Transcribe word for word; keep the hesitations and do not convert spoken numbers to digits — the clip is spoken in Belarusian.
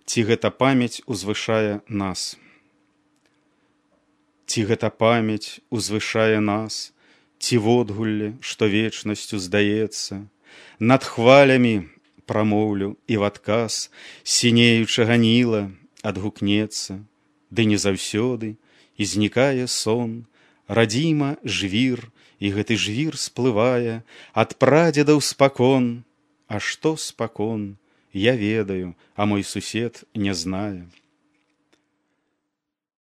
Ці гэта памяць узвышае нас? Ці гэта памяць узвышае нас, ці водгулле, што вечнасцю здаецца? Над хвалямі прамоўлю і в адказ сінеючага Ніла адгукнецца, ды не заўсёды, і знікае сон, радзіма жвір, і гэты жвір сплывае ад прадзедаў спакон. А што спакон, я ведаю, а мой сусед не знае.